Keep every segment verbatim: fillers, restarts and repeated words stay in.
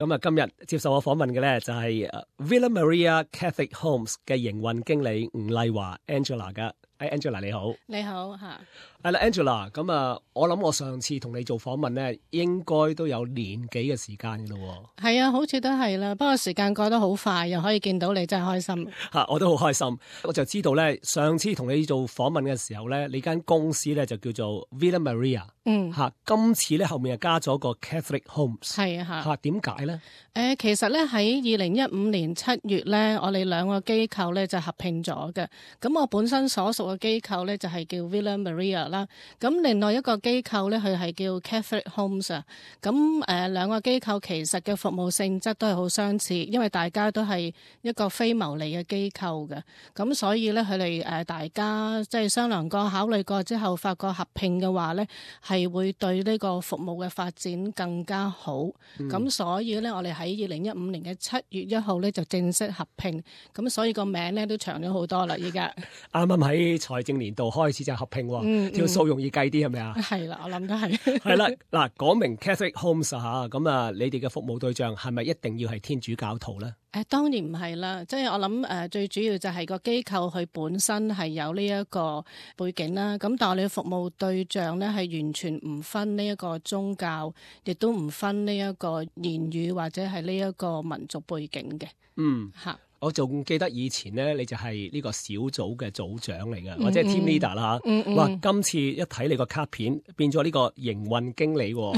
咁啊，今日接受我訪問嘅咧就係 Villa Maria Catholic Homes 嘅營運經理吳麗華 Angela 噶。誒 Angela 你好。你好嚇。係啦 Angela，咁啊，我諗我上次同你做訪問咧，應該都有年幾嘅時間噶咯。係啊，好似都係啦。不過時間過得好快，又可以見到你，真係開心。嚇，我都好開心。我就知道咧，上次同你做訪問嘅時候咧，你間公司咧就叫做 Villa Maria。嗯。嚇，今次咧後面又加咗個 Catholic Homes。係啊。嚇，點解咧？誒，其實咧喺二零一五年七月咧，我哋兩個機構咧就合併咗嘅。咁我本身所屬嘅機構咧就係叫 Villa Maria 啦。咁另外一個機構咧，佢係叫 Catholic Homes 啊。咁誒兩個機構其實嘅服務性質都係好相似，因為大家都係一個非牟利嘅機構嘅。咁所以咧，佢哋誒大家即係商量過、考慮過之後，發覺合併嘅話咧，係會對呢個服務嘅發展更加好。咁、嗯、所以咧，我哋喺二零一五年嘅七月一號咧就正式合併，咁所以個名咧都長咗好多啦。依家啱啱喺財政年度開始就合併，嗯、條數容易計啲係咪啊？係啦，我諗都係。係啦，嗱，講明 Catholic Homes 嚇，咁啊，你哋嘅服務對象係咪一定要係天主教徒咧？誒當然唔係啦，即係我諗誒最主要就係個機構佢本身係有呢一個背景啦。咁但係我哋嘅服務對象咧係完全唔分呢一個宗教，亦都唔分呢一個言語或者係呢一個民族背景嘅。嗯，嚇。我仲記得以前咧，你就係呢個小組嘅組長嚟嘅，嗯、或者係 team leader 啦嚇、嗯。哇、嗯！今次一睇你個卡片，變咗呢個營運經理喎，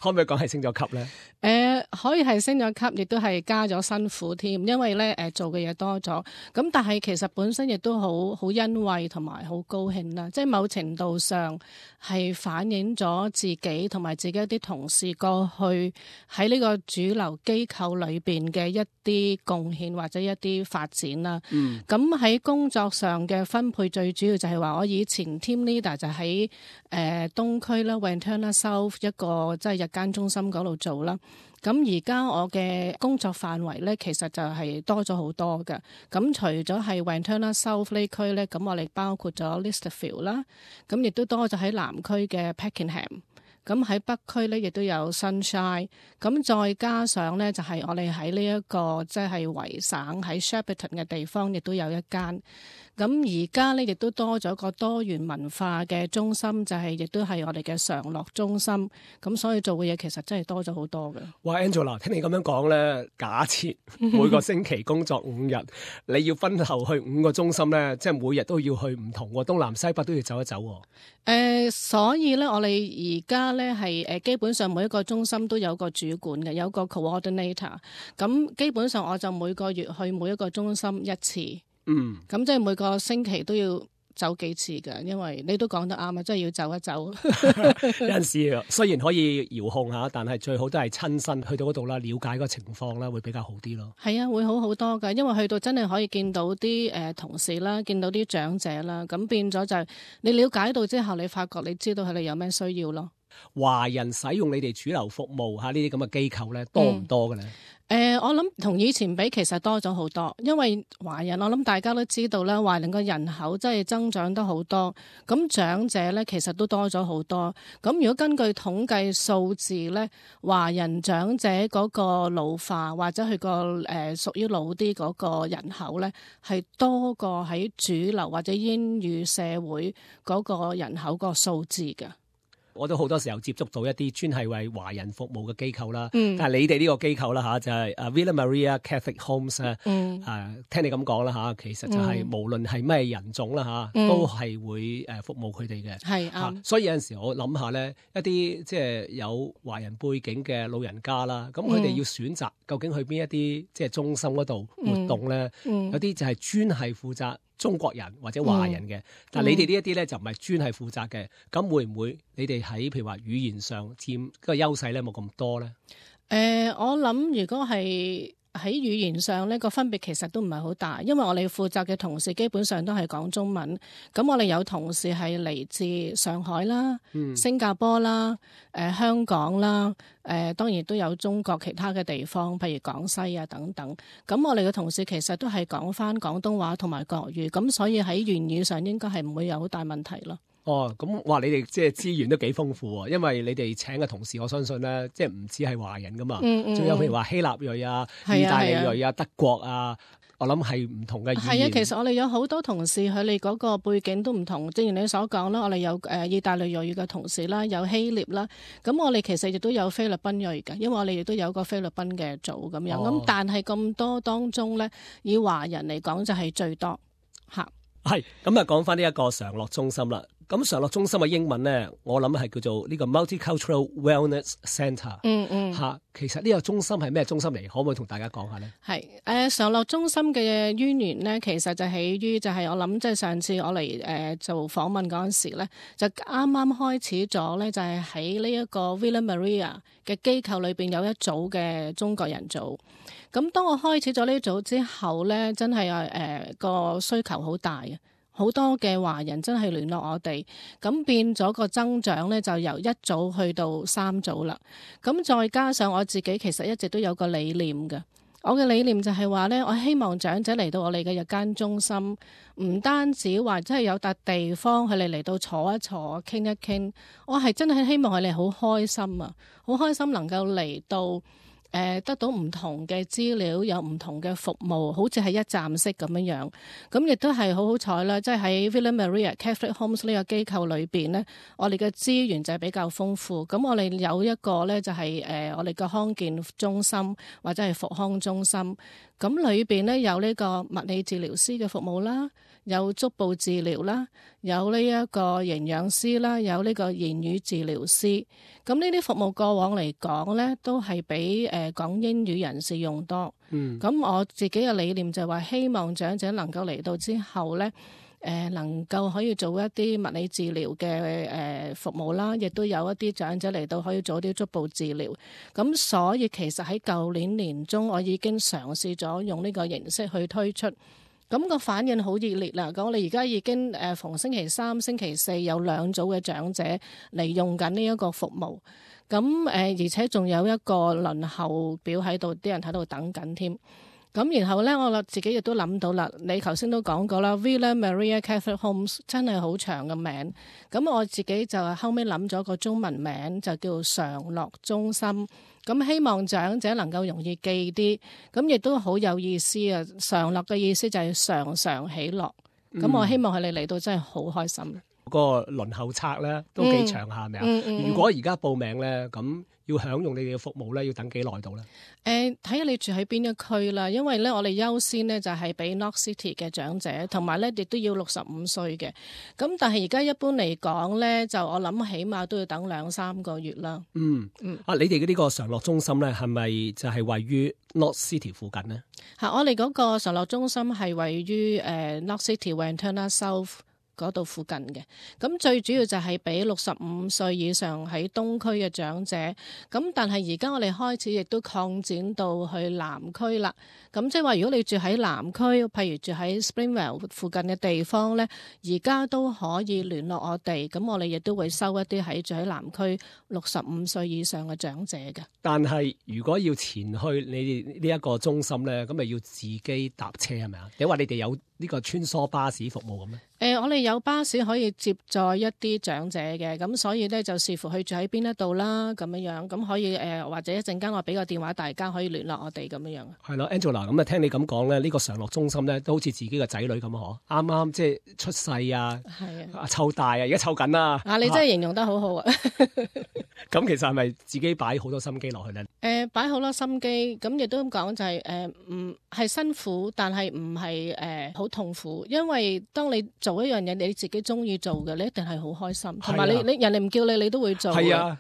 可唔可以講係升咗級咧？誒、呃，可以係升咗級，亦都係加咗辛苦添，因為咧誒、呃、做嘅嘢多咗。咁但係其實本身亦都好好欣慰同埋好高興啦，即係某程度上係反映咗自己同埋自己一啲同事過去喺呢個主流機構裏邊嘅一啲貢獻或者一啲發展啦，咁喺、嗯、工作上嘅分配最主要就係話我以前 team leader 就喺誒、呃、東區啦 Wentana South 一個即係日間中心嗰度做啦。咁而家我嘅工作範圍咧，其實就係多咗好多嘅。咁除咗係 Wentana South 呢區咧，咁我哋包括咗 Listerfield 啦，咁亦都多咗喺南區嘅 Pakenham。咁喺北區咧，亦都有 Sunshine。咁再加上咧，就係、是、我哋喺呢一個即係維省喺 Shepparton 嘅地方，亦都有一間。咁而家咧，亦都多咗個多元文化嘅中心，就係、是、亦都係我哋嘅常樂中心。咁所以做嘅嘢其實真係多咗好多嘅。哇 Angela， 聽你咁樣講咧，假設每個星期工作五日，你要分頭去五個中心咧，即係每日都要去唔同喎，東南西北都要走一走喎。誒、呃，所以咧，我哋而家咧係誒基本上每一個中心都有個主管嘅，有個 coordinator。咁基本上我就每個月去每一個中心一次。嗯，咁即係每個星期都要走幾次㗎，因為你都講得啱啊，即係要走一走。有陣時雖然可以遙控下，但係最好都係親身去到嗰度啦，了解個情況啦，會比較好啲咯。係啊，會好好多㗎，因為去到真係可以見到啲誒、呃、同事啦，見到啲長者啦，咁變咗就係你了解到之後，你發覺你知道佢哋有咩需要咯。華人使用你哋主流服務嚇呢啲咁嘅機構咧，多唔多嘅咧？嗯誒、呃，我諗同以前比其實多咗好多，因為華人我諗大家都知道啦，華人個人口真係增長得好多，咁長者咧其實都多咗好多。咁如果根據統計數字咧，華人長者嗰個老化或者佢個誒屬於老啲嗰個人口咧，係多過喺主流或者英語社會嗰個人口個數字嘅。我都好多時候接觸到一啲專係為華人服務嘅機構啦，嗯、但係你哋呢個機構啦嚇就係、是、啊 Villa Maria Catholic Homes 咧、嗯，啊聽你咁講啦嚇，其實就係無論係咩人種啦嚇，嗯、都係會誒服務佢哋嘅。係啊、嗯，所以有陣時我諗下咧，一啲即係有華人背景嘅老人家啦，咁佢哋要選擇究竟去邊一啲即係中心嗰度活動咧，嗯嗯、有啲就係專係負責中國人或者華人嘅，嗯、但係你哋呢一啲咧就唔係專係負責嘅，咁、嗯、會唔會你哋喺譬如話語言上佔個優勢咧冇咁多咧？誒、呃，我諗如果係喺語言上呢個分別其實都唔係好大，因為我哋負責嘅同事基本上都係講中文，咁我哋有同事係嚟自上海啦、嗯、新加坡啦、誒、呃、香港啦。誒、呃、當然都有中國其他嘅地方，譬如廣西啊等等。咁我哋嘅同事其實都係講返廣東話同埋國語，咁所以喺言語上應該係唔會有好大問題咯。哦，咁哇！你哋即係資源都幾豐富喎，因為你哋請嘅同事，我相信咧，即係唔止係華人噶嘛，仲、嗯嗯、有譬如話希臘裔啊、意大利裔啊、德國啊，我諗係唔同嘅語言。係啊，其實我哋有好多同事，佢哋嗰個背景都唔同。正如你所講啦，我哋有誒意大利裔嘅同事啦，有希臘啦，咁我哋其實亦都有菲律賓裔嘅，因為我哋亦都有個菲律賓嘅組咁樣。咁、哦、但係咁多當中咧，以華人嚟講就係最多嚇。係咁啊，講翻呢一個常樂中心啦。咁常樂中心嘅英文咧，我諗係叫做呢個 Multicultural Wellness Centre。嗯嗯。嚇，其實呢個中心係咩中心嚟？可唔可以同大家講下咧？係誒常樂中心嘅淵源咧，其實就起於就係我諗，即係上次我嚟誒、呃、做訪問嗰陣時咧，就啱啱開始咗咧，就係喺呢一個 Villa Maria 嘅機構裏邊有一組嘅中國人組。咁當我開始咗呢組之後咧，真係誒個需求好大啊！好多嘅華人真係聯絡我哋，咁變咗個增長咧，就由一組去到三組啦。咁再加上我自己其實一直都有個理念嘅，我嘅理念就係話咧，我希望長者嚟到我哋嘅日間中心，唔單止話真係有笪地方佢哋嚟到坐一坐、傾一傾，我係真係希望佢哋好開心啊，好開心能夠嚟到。誒得到唔同嘅資料，有唔同嘅服務，好似係一站式咁樣樣。咁亦都係好好彩啦，即係喺 Villa Maria Catholic Homes 呢個機構裏邊呢，我哋嘅資源就係比較豐富。咁我哋有一個呢，就係誒我哋嘅康健中心或者係復康中心。咁裏邊呢，有呢個物理治療師嘅服務啦，有足部治療啦，有呢一個營養師啦，有呢個言語治療師。咁呢啲服務過往嚟講呢，都係俾誒講英語人士用多。嗯，咁我自己嘅理念就係話，希望長者能夠嚟到之後呢，誒、呃、能夠可以做一啲物理治療嘅誒、呃、服務啦，亦都有一啲長者嚟到可以做啲足部治療。咁所以其實喺舊年年中，我已經嘗試咗用呢個形式去推出。咁個反應好熱烈啦！咁我哋而家已經誒逢星期三、星期四有兩組嘅長者嚟用緊呢一個服務。咁誒，而且仲有一個輪候表喺度，啲人喺度等緊添。咁然後咧，我自己亦都諗到啦。你頭先都講過啦 Villa Maria Catholic Homes 真係好長嘅名。咁我自己就後尾諗咗個中文名，就叫常樂中心。咁希望長者能夠容易記啲，咁亦都好有意思啊！常樂嘅意思就係常常喜樂。咁、嗯、我希望佢哋嚟到真係好開心。個輪候冊咧都幾長下，係咪啊？如果而家報名咧，咁要享用你哋嘅服務咧，要等幾耐到咧？誒、呃，睇下你住喺邊一區啦。因為咧，我哋優先咧就係俾 Knox City 嘅長者，同埋咧亦都要六十五歲嘅。咁但係而家一般嚟講咧，就我諗起碼都要等兩三個月啦。嗯嗯。啊，你哋嘅呢個常樂中心咧，係咪就係位於 Knox City 附近呢？嚇，我哋嗰個常樂中心係位於誒、呃、Knox City Wantirna South嗰度附近嘅。咁最主要就係俾六十五歲以上喺東區嘅長者。咁但係而家我哋開始亦都擴展到去南區啦。咁即係話，如果你住喺南區，譬如住喺 Springvale 附近嘅地方呢，而家都可以聯絡我哋。咁我哋亦都會收一啲喺住喺南區六十五歲以上嘅長者嘅。但係如果要前去你哋呢一個中心呢，咁咪要自己搭車係咪啊？你話你哋有呢個穿梭巴士服務咁咩？誒、呃，我哋有巴士可以接載一啲長者嘅，咁所以咧就視乎佢住喺邊一度啦，咁樣樣，咁可以誒、呃，或者一陣間我俾個電話大家可以聯絡我哋咁樣樣。係咯 ，Angela，咁啊聽你咁講咧，呢、這個常樂中心咧都好似自己個仔女咁嗬，啱啱即係出世啊，係啊，湊大啊，而家湊緊啦。啊，你真係形容得好好啊！咁其實係咪自己擺好多心機落去咧？誒、呃，擺好多心機，咁亦都咁講就係誒，唔、呃、係辛苦，但係唔係誒好痛苦，因為當你做一樣嘢你自己中意做嘅，你一定係好開心，同埋你你人哋唔叫你，你都會做。係啊，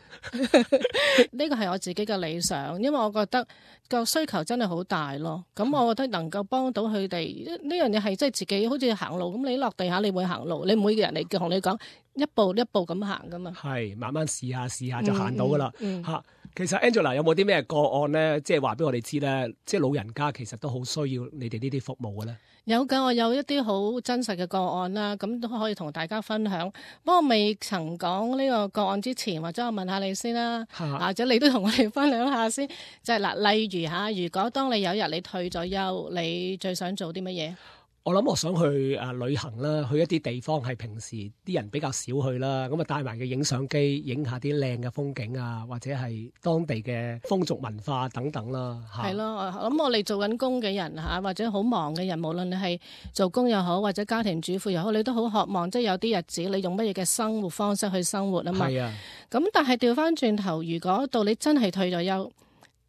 呢個係我自己嘅理想，因為我覺得個需求真係好大咯。咁我覺得能夠幫到佢哋呢樣嘢係即係自己好似行路咁，你落地下你會行路，你唔會嘅人嚟同你講一步一步咁行噶嘛。係慢慢試下試下就行到噶啦。吓、嗯嗯，其實 Angela 有冇啲咩個案咧？即係話俾我哋知咧，即係老人家其實都好需要你哋呢啲服務嘅咧。有㗎，我有一啲好真實嘅個案啦，咁都可以同大家分享。不過未曾講呢個個案之前，或者我問下你先啦，或者你都同我哋分享下先。就係、是、嗱，例如嚇，如果當你有一日你退咗休，你最想做啲乜嘢？我諗我想去誒旅行啦，去一啲地方係平時啲人比較少去啦，咁啊帶埋嘅影相機，影下啲靚嘅風景啊，或者係當地嘅風俗文化等等啦。係咯，咁我哋做緊工嘅人嚇，或者好忙嘅人，無論你係做工又好，或者家庭主婦又好，你都好渴望即係有啲日子你用乜嘢嘅生活方式去生活啊嘛。係啊。咁但係調翻轉頭，如果到你真係退咗休，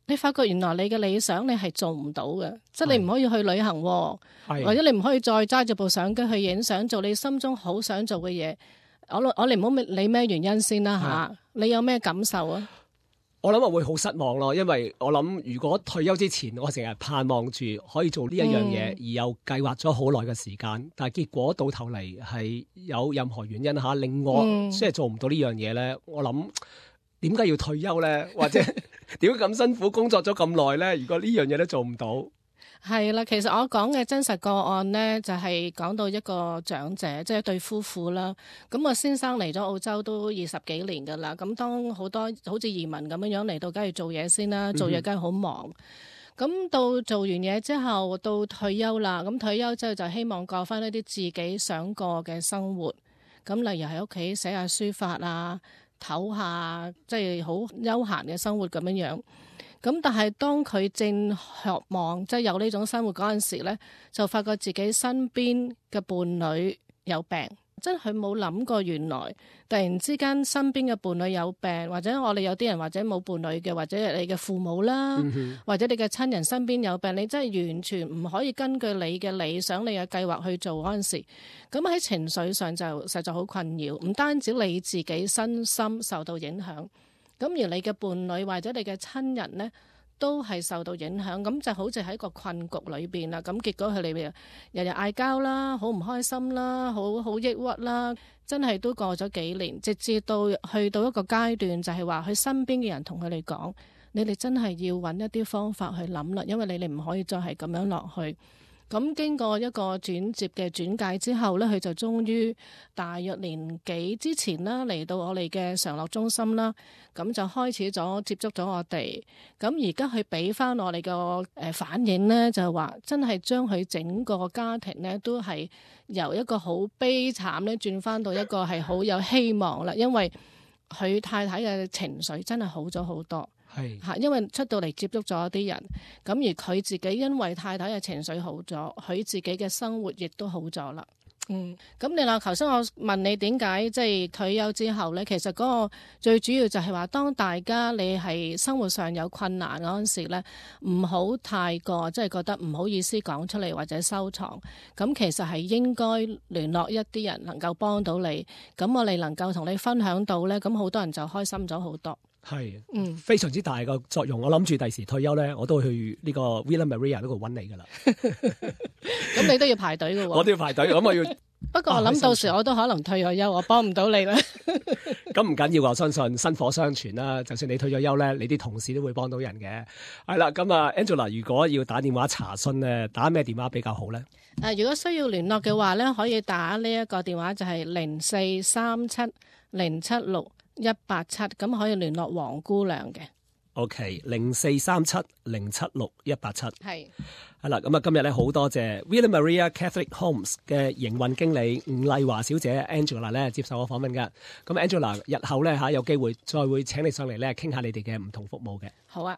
你發覺原來你嘅理想你係做唔到嘅，即係你唔可以去旅行，或者你唔可以再揸住部相機去影相，做你心中好想做嘅嘢。我我哋唔好理咩原因先啦吓，你有咩感受啊？我諗我會好失望咯，因為我諗如果退休之前，我成日盼望住可以做呢一樣嘢，嗯、而又計劃咗好耐嘅時間，但係結果到頭嚟係有任何原因吓令我即係做唔到呢樣嘢咧，我諗。點解要退休咧？或者點解咁辛苦工作咗咁耐咧？如果呢樣嘢都做唔到，係啦。其實我講嘅真實個案咧，就係、是、講到一個長者，即係一對夫婦啦。咁我先生嚟咗澳洲都二十幾年噶啦。咁當好多好似移民咁樣樣嚟到，梗係做嘢先啦。做嘢梗係好忙。咁、嗯、到做完嘢之後，到退休啦。咁退休之後就希望過翻一啲自己想過嘅生活。咁例如喺屋企寫下書法啊。唞下，即係好悠閒嘅生活咁樣樣。咁但係當佢正渴望即係有呢種生活嗰陣時咧，就發覺自己身邊嘅伴侶有病。真係佢冇諗過，原來突然之間身邊嘅伴侶有病，或者我哋有啲人或者冇伴侶嘅，或者你嘅父母啦，嗯、或者你嘅親人身邊有病，你真係完全唔可以根據你嘅理想、你嘅計劃去做嗰陣時，咁喺情緒上就實在好困擾。唔單止你自己身心受到影響，咁而你嘅伴侶或者你嘅親人呢，都係受到影響，咁就好似喺個困局裏邊啦。咁結果佢哋日日嗌交啦，好唔開心啦，好好抑鬱啦，真係都過咗幾年，直至到去到一個階段，就係話佢身邊嘅人同佢哋講：你哋真係要揾一啲方法去諗啦，因為你哋唔可以再係咁樣落去。咁經過一個轉接嘅轉介之後呢，佢就終於大約年幾之前啦，嚟到我哋嘅常樂中心啦，咁就開始咗接觸咗我哋。咁而家佢俾翻我哋個誒反應呢，就係話真係將佢整個家庭呢，都係由一個好悲慘呢轉翻到一個係好有希望啦，因為佢太太嘅情緒真係好咗好多。係嚇，因為出到嚟接觸咗一啲人，咁而佢自己因為太太嘅情緒好咗，佢自己嘅生活亦都好咗啦。嗯，咁你話頭先我問你點解即係退休之後呢？其實嗰個最主要就係話，當大家你係生活上有困難嗰陣時呢，唔好太過即係覺得唔好意思講出嚟或者收藏。咁其實係應該聯絡一啲人能夠幫到你，咁我哋能夠同你分享到呢，咁好多人就開心咗好多。係，嗯，非常之大嘅作用。我諗住第時退休咧，我都會去呢個 Villa Maria 嗰度揾你噶啦。咁你都要排隊嘅喎。我都要排隊，咁我要。不過我諗到時我都可能退咗休，我幫唔到你啦。咁唔緊要，我相信薪火相傳啦。就算你退咗休咧，你啲同事都會幫到人嘅。係啦，咁啊 Angela， 如果要打電話查詢咧，打咩電話比較好咧？誒、呃，如果需要聯絡嘅話咧，可以打呢一個電話就係零四三七零七六一八七，咁可以聯絡黃姑娘嘅。OK， 零四三七零七六一八七。係係啦，咁啊，今日咧好多謝 Villa Maria Catholic Homes 嘅營運經理吳麗華小姐 Angela 咧接受我訪問噶。咁 Angela 日後咧吓有機會再會請你上嚟咧傾下你哋嘅唔同服務嘅。好啊。